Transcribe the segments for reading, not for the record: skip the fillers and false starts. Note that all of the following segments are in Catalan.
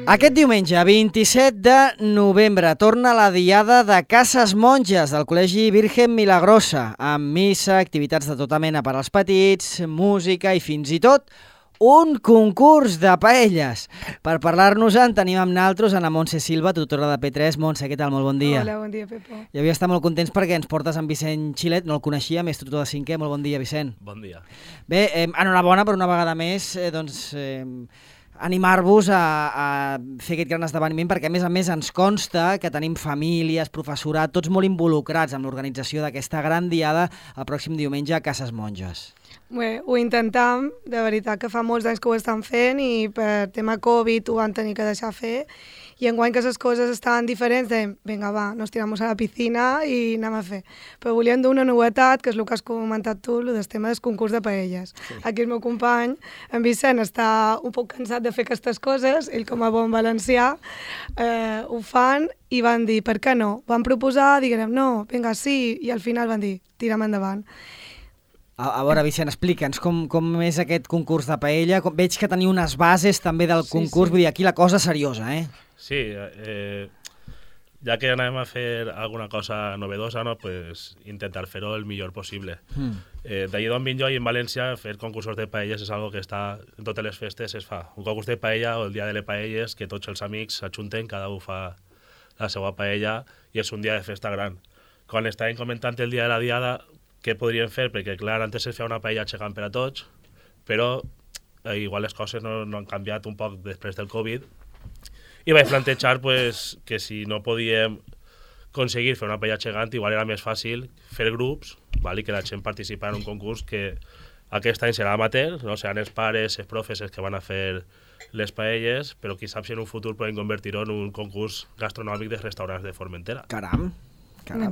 Aquest diumenge, 27 de novembre, torna la diada de Cases Monges del Col·legi Virgen Milagrosa, amb missa, activitats de tota mena per als petits, música i fins i tot un concurs de paelles. Per parlar-nos-en tenim amb naltros Ana Montse Silva, tutora de P3. Montse, què tal? Molt bon dia. Hola, bon dia, Pepo. I avui estem molt contents perquè ens portes amb Vicent Xilet, no el coneixia, més tutor de 5è. Molt bon dia, Vicent. Bon dia. Bé, enhorabona per una vegada més, animar-vos a fer aquest gran esdeveniment perquè a més ens consta que tenim famílies, professorat, tots molt involucrats en l'organització d'aquesta gran diada el pròxim diumenge a Cases Monges. Bé, ho intentam, de veritat que fa molts anys que ho estan fent i per tema Covid ho van tenir que deixar fer i enguany que les coses estaven diferents dèiem, vinga va, nos tiramos a la piscina i anem a fer. Però volíem dur una novetat, que és el que has comentat tu, el del tema del concurs de paelles. Sí. Aquí el meu company, en Vicent, està un poc cansat de fer aquestes coses, ell com a bon valencià ho fan i van dir, per què no? Van proposar, diguem, no, vinga, sí, i al final van dir, tirem endavant. A veure, Vicent, explica'ns com és aquest concurs de paella. Veig que teniu unes bases també del concurs, vull dir, aquí la cosa seriosa, eh? Sí, ja que anem a fer alguna cosa novedosa, no, pues intentar fer-ho el millor possible. D'allí d'on vinc jo i en València, fer concursos de paelles és algo que està en totes les festes es fa. Un concurs de paella o el dia de les paelles, que tots els amics s'ajunten, cada un fa la seva paella i és un dia de festa gran. Quan estàvem comentant el dia de la diada, què podríem fer? Perquè, clar, antes es feia una paella gegant per a tots, però igual les coses no han canviat un poc després del Covid i vaig plantejar pues, que si no podíem aconseguir fer una paella gegant, igual era més fàcil fer grups, val? I que la gent participar en un concurs que aquest any serà amateur, no? Seran els pares, els profes els que van a fer les paelles, però qui sap si en un futur podem convertir-ho en un concurs gastronòmic de restaurants de Formentera. Caram,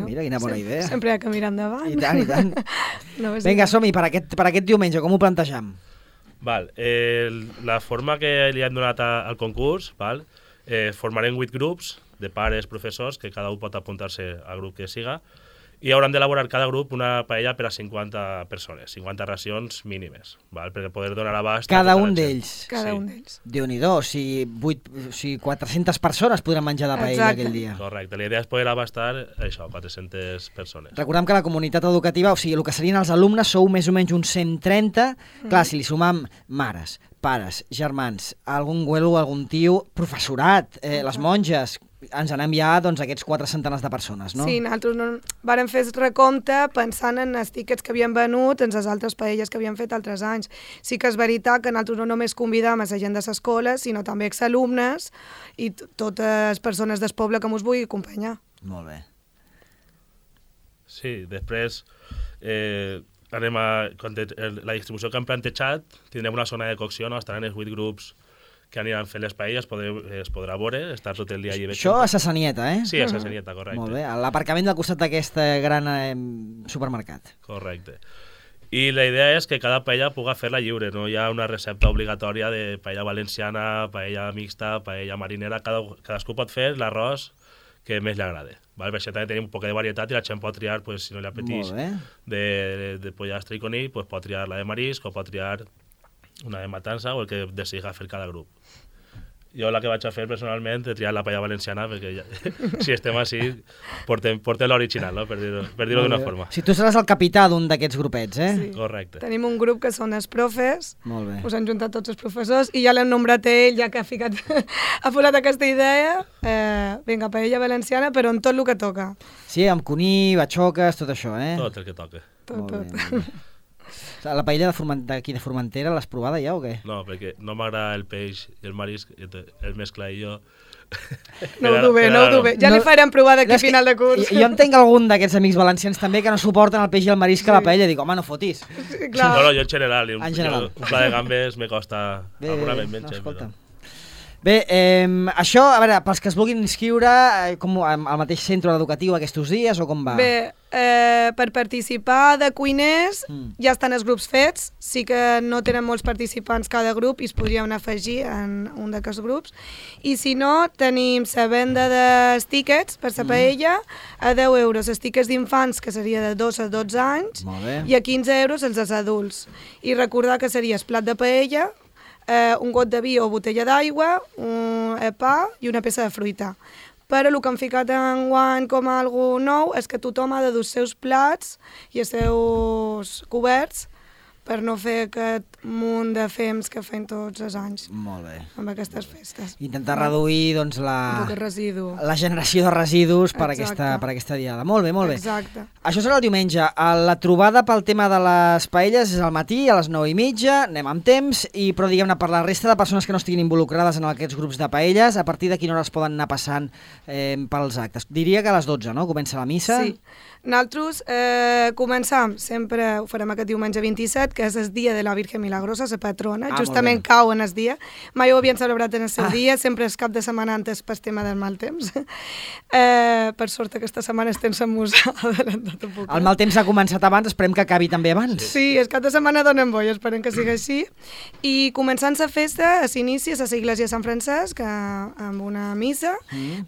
mira, quina bona idea. Sempre hi ha que mirar endavant. I tant. No, vinga, som-hi, per aquest diumenge, com ho plantejam? Val, la forma que li hem donat al concurs, val, formarem 8 grups de pares, professors, que cada un pot apuntar-se al grup que siga, i hauran d'elaborar cada grup una paella per a 50 persones, 50 racions mínimes, val? Perquè poder donar abast cada un d'ells. Cada un d'ells. Déu-n'hi-do, si 400 persones podran menjar de paella aquell dia. Correcte, la idea és poder abastar això, 400 persones. Recordem que la comunitat educativa, o sigui, el que serien els alumnes, sou més o menys uns 130. Clar, si li sumam mares, pares, germans, algun güelo, algun tio, professorat, les monges, ens anem ja doncs, aquests 4 centenars de persones, no? Sí, nosaltres vàrem fer el recompte pensant en els tíquets que havíem venut en les altres paelles que havíem fet altres anys. Sí que és veritat que nosaltres no només convidam a la gent de l'escola, sinó també exalumnes i totes les persones del poble que ens vulgui acompanyar. Molt bé. Sí, després anem a... La distribució que hem plantejat, tindrem una zona de cocció, no? Estaran els 8 grups que aniran fent les paelles, es podrà veure, estar tot el dia allà. Això a Sassanieta, eh? Sí, a Sassanieta, correcte. Molt bé, a l'aparcament del costat d'aquest gran supermercat. Correcte. I la idea és que cada paella puga fer-la lliure, no hi ha una recepta obligatòria de paella valenciana, paella mixta, paella marinera, cadascú pot fer l'arròs que més li agrada. Per això també tenim un poc de varietat i la gent pot triar, pues, si no li apeteix de pollastre i conill, pues, pot triar la de marisc o pot triar una de matança o el que decideix fer cada grup. Jo la que vaig a fer personalment he triat la paella valenciana perquè ja, si estem així portem l'original, no? per dir-ho d'una forma. Si tu seràs el capità d'un d'aquests grupets, eh? Sí. Correcte. Tenim un grup que són els profes, molt bé. Us han juntat tots els professors i ja l'hem nombrat ell, ja que ha posat aquesta idea, vinga, paella valenciana, però en tot el que toca. Sí, amb conill, batxoques, tot això, eh? Tot el que toca. Tot. La paella d'aquí de Formentera l'has provada ja o què? No, perquè no m'agrada el peix i el marisc, el mescla i jo... No ho dubé. Ja li farem provar d'aquí a final de curs. Jo entenc algun d'aquests amics valencians també que no suporten el peix i el marisc a la paella. Dic, home, no fotis. Sí, clar. No, jo en general. Un pla de gambes me costa alguna vez menys. Bé, això, a veure, pels que es vulguin inscriure, com al mateix centre educatiu aquests dies o com va? Bé, per participar de cuiners ja estan els grups fets, sí que no tenen molts participants cada grup i es podrien afegir en un d'aquests grups, i si no, tenim la venda dels tíquets per la paella a 10 euros, els tíquets d'infants que seria de 2 a 12 anys i a 15 euros els dels adults, i recordar que seria el plat de paella, un got de vi o botella d'aigua, un pa i una peça de fruita. Però el que han ficat enguany com a algo nou és que tothom ha de dur els seus plats i els seus coberts per no fer aquest munt de fems que fem tots els anys. Molt bé. Amb aquestes festes. Intentar reduir doncs, Un poc de residu. la generació de residus per Exacte. aquesta diada. Molt bé, molt bé. Exacte. Això serà el diumenge. La trobada pel tema de les paelles és al matí, a les 9:30, anem amb temps, però diguem-ne, per la resta de persones que no estiguin involucrades en aquests grups de paelles, a partir de quina hora es poden anar passant pels actes? Diria que a les 12, no? Comença la missa. Sí. Nosaltres començam, sempre ho farem aquest diumenge 27, que és el dia de la Virgen Milagrosa, la patrona, justament cau en el dia. Mai ho havien celebrat en el seu dia, sempre és cap de setmana antes pel tema del mal temps. Per sort aquesta setmana estem a musa adelantat un poc. El mal temps ha començat abans, esperem que acabi també abans. Sí, el cap de setmana donen boi, esperem que sigui així. I començant la festa, s'inicia a l'església de Sant Francesc, amb una missa,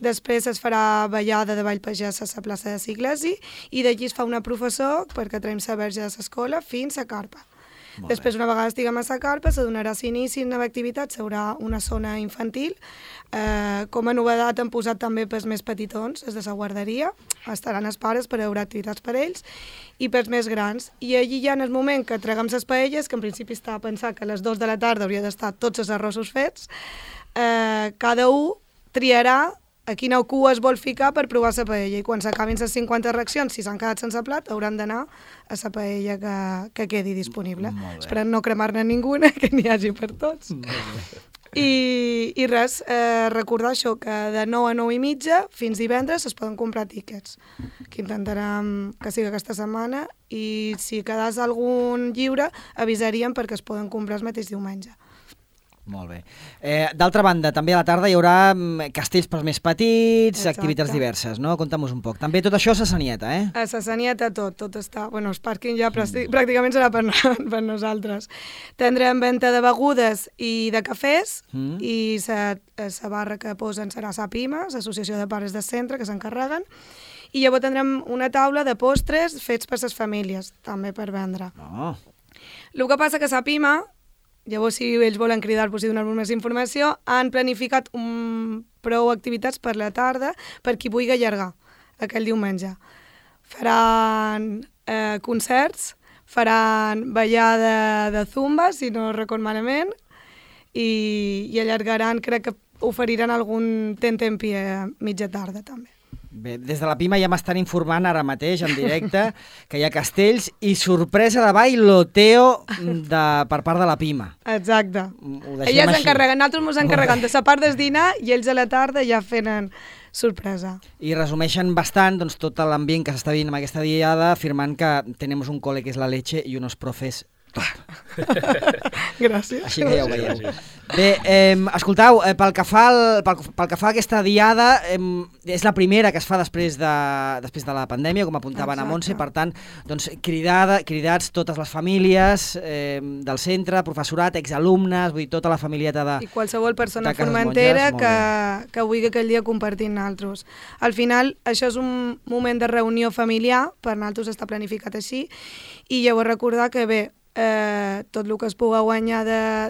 després es farà ballada de ball pagès a la plaça de l'església, i d'allí es fa una professó perquè traiem la verge de l'escola fins a carpa. Després, una vegada estiguem a la carpa, se donarà s'inici en nova activitat, s'haurà una zona infantil. Com a novedat han posat també pels més petitons, els de la guarderia, estaran els pares per haurà activitats per ells, i pels més grans. I allí ja en el moment que traguem les paelles, que en principi estava pensat que a les 2 de la tarda hauria d'estar tots els arrossos fets, cada un triarà a quina cua es vol ficar per provar la paella, i quan s'acabin les 50 reaccions, si s'han quedat sense plat, hauran d'anar a la paella que quedi disponible. Esperem no cremar-ne ninguna, que n'hi hagi per tots. I res, recordar això, que de 9 a 9:30 fins divendres es poden comprar tíquets, que intentarem que sigui aquesta setmana, i si quedàs algun lliure avisaríem perquè es poden comprar el mateix diumenge. Molt bé. D'altra banda, també a la tarda hi haurà castells pels més petits, activitats diverses, no? Conta'm-nos un poc. També tot això a Sassanieta, eh? A Sassanieta tot està... Bueno, el pàrquing ja pràcticament serà per nosaltres. Tindrem venda de begudes i de cafès, i la barra que posen serà la PIMA, l'Associació de Pares de Centre, que s'encarreguen, i llavors tindrem una taula de postres fets per les famílies, també per vendre. El que passa que la PIMA, llavors, si ells volen cridar-vos i donar-vos més informació, han planificat prou activitats per la tarda per qui vulgui allargar aquell diumenge. Faran concerts, faran ballada de zumba, si no record malament, i allargaran, crec que oferiran algun tentempié a mitja tarda també. Bé, des de la PIMA ja m'estan informant ara mateix, en directe, que hi ha castells i sorpresa de bailoteo per part de la PIMA. Exacte. Elles s'encarreguen, nosaltres ens encarreguem de la part del dinar i ells a la tarda ja fenen sorpresa. I resumeixen bastant doncs, tot l'ambient que s'està vivint amb aquesta diada, afirmant que tenim un cole que és la leche i unos profes Gràcies. Així que ja ho veieu. Bé, escoltau, pel que fa a aquesta diada, és la primera que es fa després de la pandèmia, com apuntaven a Montse, per tant, doncs, cridats totes les famílies del centre, professorat, exalumnes, vull dir, tota la familieta de i qualsevol persona formentera que vulgui aquell dia compartir amb nosaltres. Al final, això és un moment de reunió familiar, per nosaltres està planificat així, i llavors recordar que bé, tot el que es pugui guanyar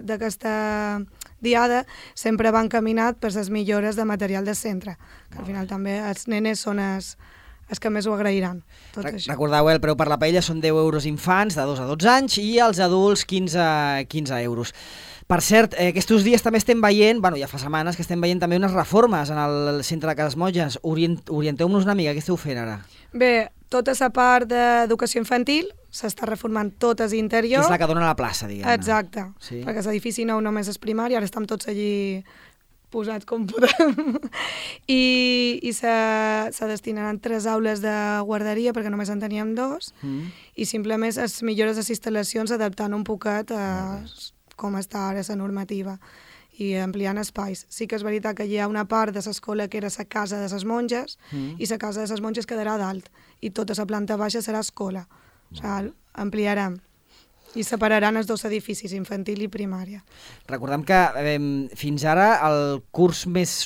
d'aquesta diada sempre va encaminat per les millores de material del centre, que al final també els nenes són els que més ho agrairan. Recordeu, el preu per la paella són 10 euros infants de 2 a 12 anys i els adults 15 euros. Per cert, aquests dies també estem veient, ja fa setmanes que estem veient també unes reformes en el centre de Cases Monges. Orienteu-nos una mica, què esteu fent ara? Bé, tota la part d'educació infantil s'està reformant tot l'interior. Que és la que dona la plaça, diguem-ne. Exacte, sí. Perquè l'edifici nou només és primari, ara estem tots allí posats com podem. I se destinaran 3 aules de guarderia, perquè només en teníem 2, i simplement es millores les instal·lacions adaptant un poquet a com està ara la normativa i ampliant espais. Sí que és veritat que hi ha una part de l'escola que era la casa de les monges i la casa de les monges quedarà dalt i tota la planta baixa serà escola. O sigui, ampliarem i separaran els 2 edificis, infantil i primària. Recordem que fins ara el curs més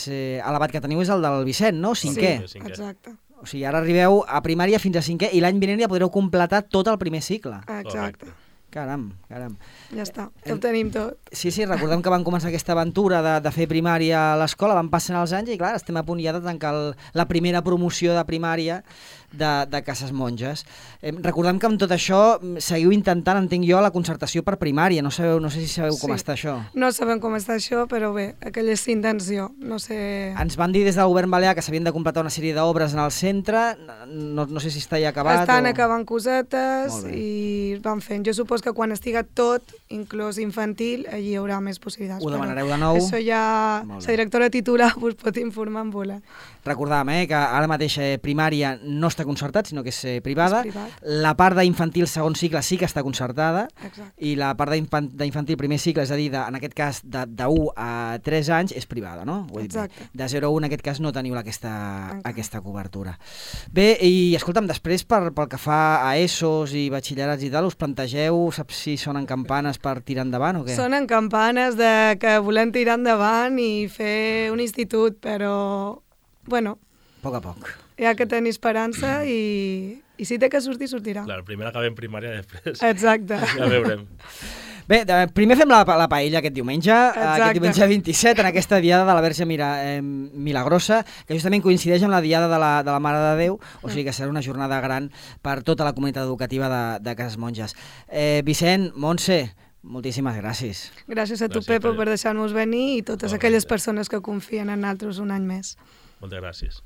elevat que teniu és el del Vicent, no? 5è. Sí, exacte. O sigui, ara arribeu a primària fins a 5è i l'any vinent ja podreu completar tot el primer cicle. Exacte. Caram. Ja està, ho tenim tot. Sí, recordem que van començar aquesta aventura de fer primària a l'escola, van passant els anys i clar, estem a punt ja de tancar la primera promoció de primària de Cases Monges. Recordem que amb tot això seguiu intentant, entenc jo, la concertació per primària. No sé si sabeu com està això. No sabem com està això, però bé, aquella és intenció. No sé... Ens van dir des del govern balear que s'havien de completar una sèrie d'obres en el centre. No sé si està ja acabat. Estan acabant cosetes i van fent. Jo suposo que quan estiga tot, inclús infantil, allí hi haurà més possibilitats. Ho demanareu de nou. Això ja la directora titular us pot informar en voler. Recordàvem que ara mateix primària no està concertat, sinó que és privada. És privat. La part d'infantil segon cicle sí que està concertada. Exacte. I la part d'infantil primer cicle, és a dir, en aquest cas de 1 a 3 anys, és privada, no? Ho he dit Exacte. bé. De 0 a 1 en aquest cas no teniu aquesta cobertura. Bé, i escolta'm, després pel que fa a ESOs i batxillerats i tal, us plantegeu, saps si sonen campanes per tirar endavant o què? Sonen campanes de que volem tirar endavant i fer un institut, però, bueno... A poc a poc. Hi ha que tenir esperança i si té que sortir, sortirà. Clar, primer acabem primària, després Exacte. ja veurem. Bé, primer fem la paella aquest diumenge, aquest diumenge 27, en aquesta diada de la Verge Milagrosa, que justament coincideix amb la diada de la Mare de Déu, o sigui que serà una jornada gran per tota la comunitat educativa de Cases Monges. Vicent, Montse, moltíssimes gràcies. Gràcies a tu, Pepo, per deixar-nos venir i totes aquelles persones que confien en nosaltres un any més. Moltes gràcies.